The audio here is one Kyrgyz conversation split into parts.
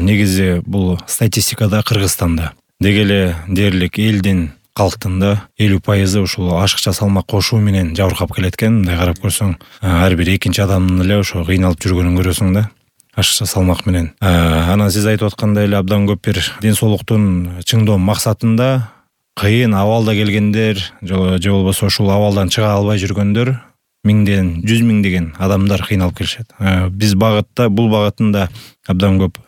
негизи бул статистикада Кыргызстанда деги эле дээрлик элдин калктын да 50% ушул ашыкча салмак кошуу менен жабыркап келет экен. Мындай карап көрсөң, ар бир экинчи адамдын эле ошо кыйналып жүргөнүн көрөсүң да, ашыкча салмак менен. Анан сиз айтып аткандай эле абдан көп бир ден соолуктун чыңдоо максатында кыйын абалда келгендер же болбосо ушул абалдан чыга албай жүргөндөр миңден, 100 миңдеген адамдар кыйналып келишет. Биз бул багытында абдан көп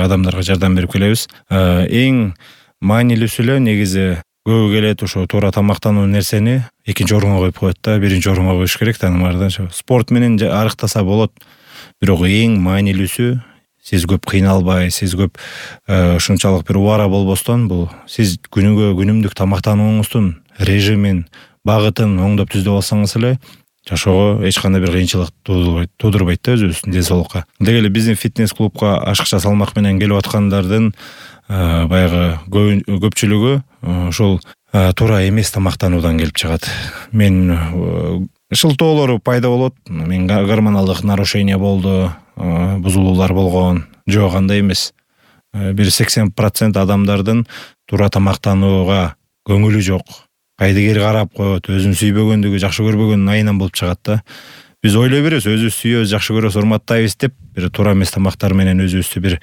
адамдарга жардам берип келебиз. Эң маанилүүсү эле негизи көбү келет ошо туура тамактануу нерсени экинчи орунга коюп коет да, биринчи орунга коюш керек да, спорт менен арыктаса болот. Бирок эң маанилүүсү сиз көп кыйналбай, сиз көп ушунчалык бир убара болбостон, бул сиз күнүмдүк тамактанууңуздун режимин, багытын оңдоп түздөп алсаңыз эле жашоого эч кандай бир кыйынчылык туудурбайт да өзүбүздүн ден соолукка. Деги эле биздин фитнес-клубка ашыкча салмак менен келип аткандардын баягы көпчүлүгү ушул туура эмес тамактануудан келип чыгат. Мен шылтоолор пайда болот, мен гормоналдык нарушение болду, бузулуулар болгон, жок андай эмес. Бир 80% адамдардын туура тамактанууга көңүлү жок. Кайдыгер карап коет, өзүн сүйбөгөндүгү, жакшы көрбөгөнүн айынан болуп чыгат да. Биз ойлой беребиз, өзүбүз сүйөбүз, жакшы көрөбүз, урматтайбыз деп, бир туура эмес тамактар менен өзүбүздү бир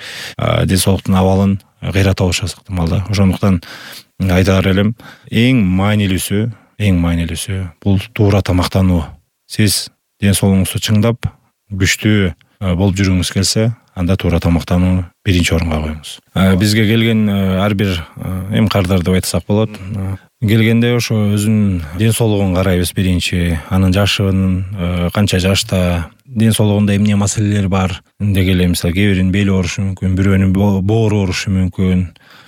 ден соолуктун абалын кыйрата алышабыз ыктымал да. Ошондуктан айтаар элем, эң маанилүүсү бул туура тамактануу. Сиз ден соолугуңузду чыңдап, күчтүү болуп жүргүңүз келсе, анда туура тамактанууну биринчи орунга коюңуз. Бизге келген ар бир эмкардар деп айтсак болот. Келгенде ошо өзүнүн ден соолугун карайбыз биринчи, анын жашын, канча жашта, ден соолугунда эмне маселелер бар. Деги эле мисалы кээ биринин бели оорушу мүмкүн, бирөөнүн боору оорушу мүмкүн.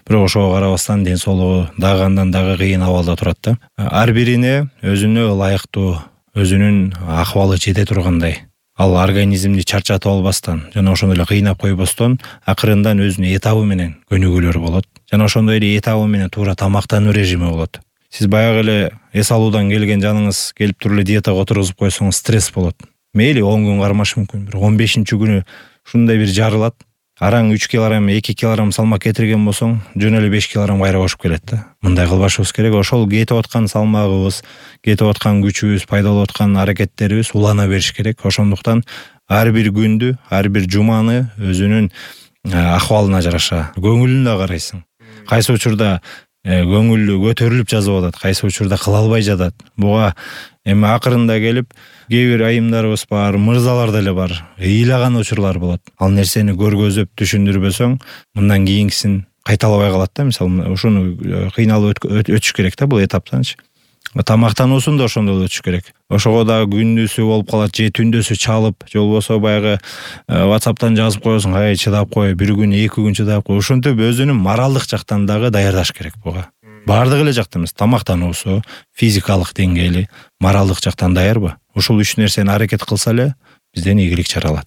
Бирок ошого карабастан ден соолугу дагы андан дагы кыйын абалда турат да. Ар бирине өзүнө ылайыктуу, өзүнүн акыбалы жете тургандай, ал организмди чарчатып албастан жана ошондой эле кыйнап койбостон акырындан өзүнүн этабы менен көнүгүүлөр болот. Жана ошондой эле этабы менен туура тамактануу режими болот. Сиз баягы эле эс алуудан келген жаныңыз келип туруп эле диетага отургузуп койсоңуз стресс болот. Мейли 10 күн кармашы мүмкүн, бирок 15-чи күнү ушундай бир жарылат. Араң 3 килограмм, 2 килограмм салмак кетирген болсоң, жөн эле 5 килограмм кайра кошуп келет да. Мындай кылбашыбыз керек. Ошол кетип аткан салмагыбыз, кетип аткан күчүбүз, пайда болуп аткан аракеттерибиз улана бериш керек. Ошондуктан ар бир күндү, ар бир жуманы өзүнүн акыбалына жараша көңүлүнө карайсың. Кайсы учурда көңүлү көтөрүлүп жазып атат, кайсы учурда кыла албай жатат. Буга эми акырында келип кээ бир айымдарыбыз бар, мырзалар деле бар, ыйлаган учурлар болот. Ал нерсени көргөзүп түшүндүрбөсөң, мындан кийинкисин кайталабай калат да. Мисалы, ушуну кыйналып өтүш керек да бул этаптанчы. Тамактануусун да ошондой өтүш керек. Ошого да күндүсү болуп калат, же түндөсү чалып, же болбосо баягы WhatsApp'тан жазып коесуң, ай чыдап кой, бир күн, 2 күн чыдап кой. Ошентип өзүнүн моралдык жактан дагы даярдаш керек буга. Бардык эле жактан эмес, тамактануусу, физикалык деңгээли, моралдык жактан даярбы? Ушул 3 нерсени аракет кылса эле бизден ийгилик чаралат.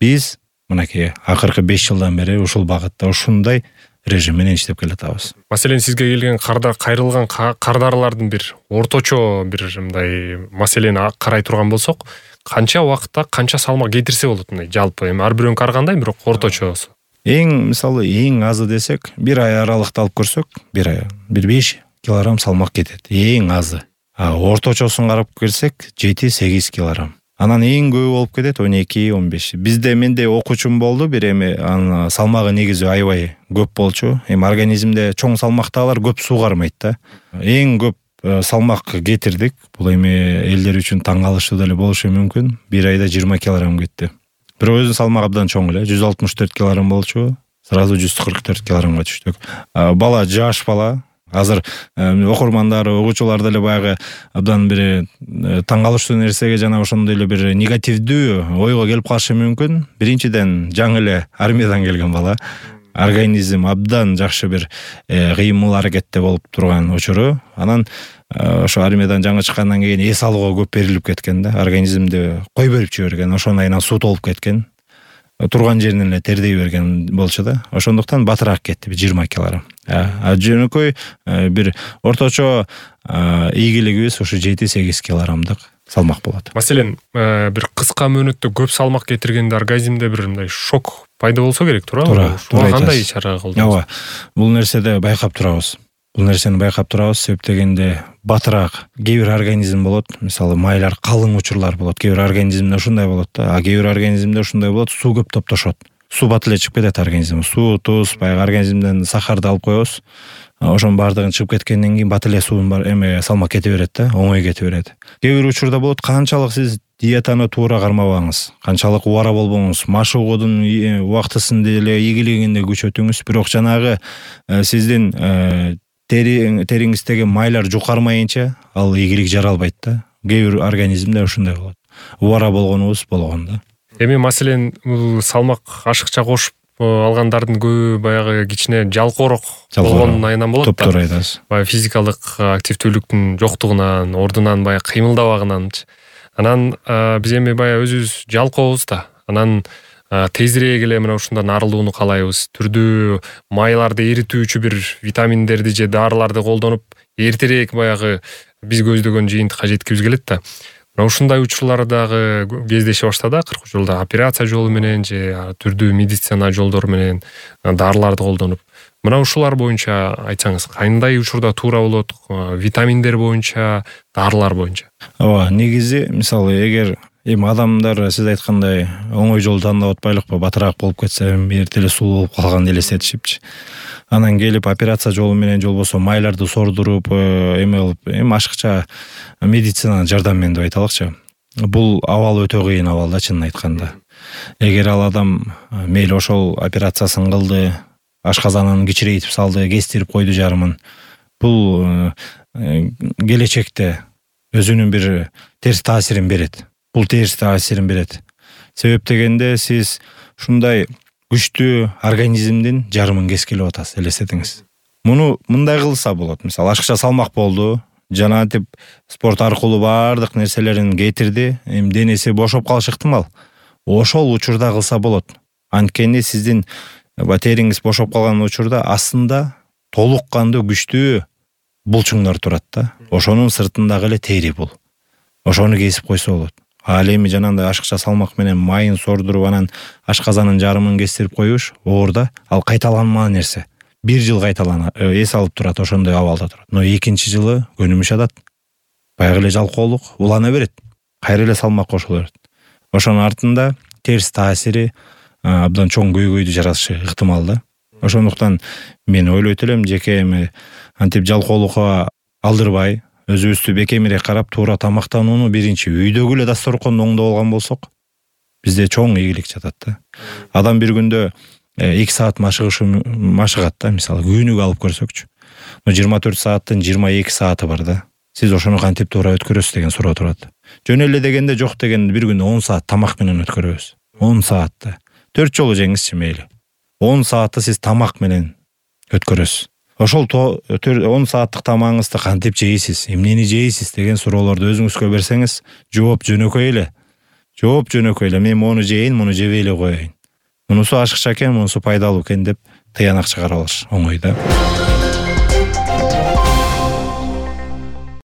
Биз мынакей акыркы 5 жылдан бери ушул багытта ушундай режим менен иштеп келатабыз. Маселен, сизге келген кайрылган кардарлардын бир орточо бир мындай маселени карай турган болсок, канча убакытта канча салмак кетирсе болот мындай жалпы? Эми ар бирөөнү карагандай, бирок орточосу. Мисалы, эң азы десек, бир ай аралыкта алып көрсөк, бир 5 килограмм салмак кетет. Эң азы. Орточосун карап келсек, 7-8 килограмм. Анан эң көбү болуп кетет 12-15. Менде окуучум болду, бир анын салмагы негизи аябай көп болчу. Организмде чоң салмактагылар көп суу кармайт да. Эң көп салмак кетирдик. Бул элдер үчүн таң калыштуу деле болушу мүмкүн. Бир айда 20 килограмм кетти. Бирок өзүнүн салмагы абдан чоң эле, 164 килограмм болчу. Сразу 144 килограммга түштүк. Бала жаш бала. Азыр окурмандар, угуучулар деле баягы абдан бир таң калыштуу нерсеге жана ошондой эле бир негативдүү ойго келип калышы мүмкүн. Биринчиден, жаңы эле армиядан келген бала. Организм абдан жакшы бир кыймыл аракетте болуп турган учуру. Анан ошо армиядан жаңы чыккандан кийин эс алууга көп берилип кеткен да. Организмди кой берип жиберген, ошондон айынан суу толуп кеткен. Турган жеринен эле тердей берген болчу да. Ошондуктан батыраак кетти, 20 килограмм. Жөнөкөй бир орточо ийгилигибиз ушу 7-8 килограммдык салмак болот. Маселен, бир кыска мөөнөттө көп салмак кетиргенде организмде бир мындай шок пайда болсо керек, туурабы? Туура Кандай айтасыз. чара колдоносуз? Ооба. Бул нерседи байкап турабыз. Себеп дегенде батыраак кээ бир организм болот. Мисалы майлар калың учурлар болот. Кээ бир организмде ушундай болот да. А кээ бир организмде ушундай болот, суу көп топтошот. Суу бат эле чыгып кетет организм. Суу, туз, баягы организмден сахарды алып коебуз. Ошонун баардыгын чыгып кеткенден кийин бат эле суунун салмак кете берет да, оңой кете берет. Кээ бир учурда болот, канчалык сиз диетаны туура кармабаңыз, канчалык убара болбоңуз, маш угуудун убактысында эле ийгилигинде күчөтүңүз, бирок жанагы сиздин териңиздеги майлар жукармайынча ал ийгилик жаралбайт да. Кээ бир организмде ушундай болот. Убара болгонубуз болгон да. Эми маселен бул салмак ашыкча кошуп алгандардын көбү баягы кичине жалкоорок болгонун айынан болот да. Топтор айтасыз. Баягы физикалык активдүүлүктүн жоктугунан, ордунан баягы кыймылдабагынанчы. Анан биз эми баягы өзүбүз жалкообуз да. Анан тезирээк эле мына ушундан арылууну каалайбыз. Түрдүү майларды эритүүчү бир витаминдерди же дарыларды колдонуп, эртерээк баягы биз көздөгөн жыйынтыкка жеткибиз келет да. Мына ушундай учурлардагы кездеше баштады 40 жылда операция жолу менен же түрдүү медицина жолдору менен дарыларды колдонуп. Мына ушулар боюнча айтсаңыз, кандай учурда туура болот? Витаминдер боюнча, дарылар боюнча. Ооба, негизи мисалы эгер эми адамдар сиз айткандай оңой жол тандап атпайлыкпы, батыраак болуп кетсе эрте эле сулуу болуп калганды элестетишипчи. Анан келип операция жолу менен же болбосо майларды сордуруп, эми ашыкча медицинанын жардамы менен деп айталыкчы. Бул абал өтө кыйын абал да, чынын айтканда. Эгер ал адам мейли ошол операциясын кылды, ашказанын кичирейтип салды, кестирип койду жарымын, бул келечекте өзүнүн бир терс таасирин берет. Себеп дегенде сиз ушундай күчтүү организмдин жарымын кескилеп атасыз, элестетиңиз. Муну мындай кылса болот. Мисалы ашыкча салмак болду, жанагынтип спорт аркылуу баардык нерселерин кетирди, эми денеси бошоп калышы ыктымал. Ошол учурда кылса болот. Анткени сиздин териңиз бошоп калган учурда астында толук кандуу күчтүү булчуңдар турат да. Ошонун сыртындагы эле тери бул. Ошону кесип койсо болот. Ал эми жанагындай ашыкча салмак менен майын сордуруп, анан ашказанын жарымын кестирип коюш оорда ал кайталанмаган нерсе. 1 жыл эс алып турат, ошондой абалда турат. Но экинчи жылы көнүмүш атат. Баягы эле жалкоолук улана берет. Кайра эле салмак кошула берет. Ошонун артында терс таасири абдан чоң көйгөйдү жаратышы ыктымал да. Ошондуктан мен ойлойт элем, жеке эми антип жалкоолукка алдырбай, өзүбүздү бекемирээк карап, туура тамактанууну биринчи үйдөгү эле дасторконду оңдоп алган болсок, бизде чоң ийгилик жатат да. Адам бир күндө 2 саат машыгат да, мисалы күнүгө алып көрсөкчү. 24 сааттын 22 сааты бар да. Сиз ошону кантип туура өткөрөсүз деген суроо турат. Жөн эле дегенде жок дегенде бир күндө 10 саат тамак менен өткөрөбүз. 10 саатты 4 жолу жеңизчи мейли. 10 саатты сиз тамак менен өткөрөсүз. Ошол 10 сааттык тамагыңызды кантип жейсиз, эмнени жейсиз деген суроолорду өзүңүзгө берсеңиз, жооп жөнөкөй эле. Мен мону жейин, муну жебей эле коеюн. Мунусу ашыкча экен, мунусу пайдалуу экен деп тыянак чыгарып алыш оңой да.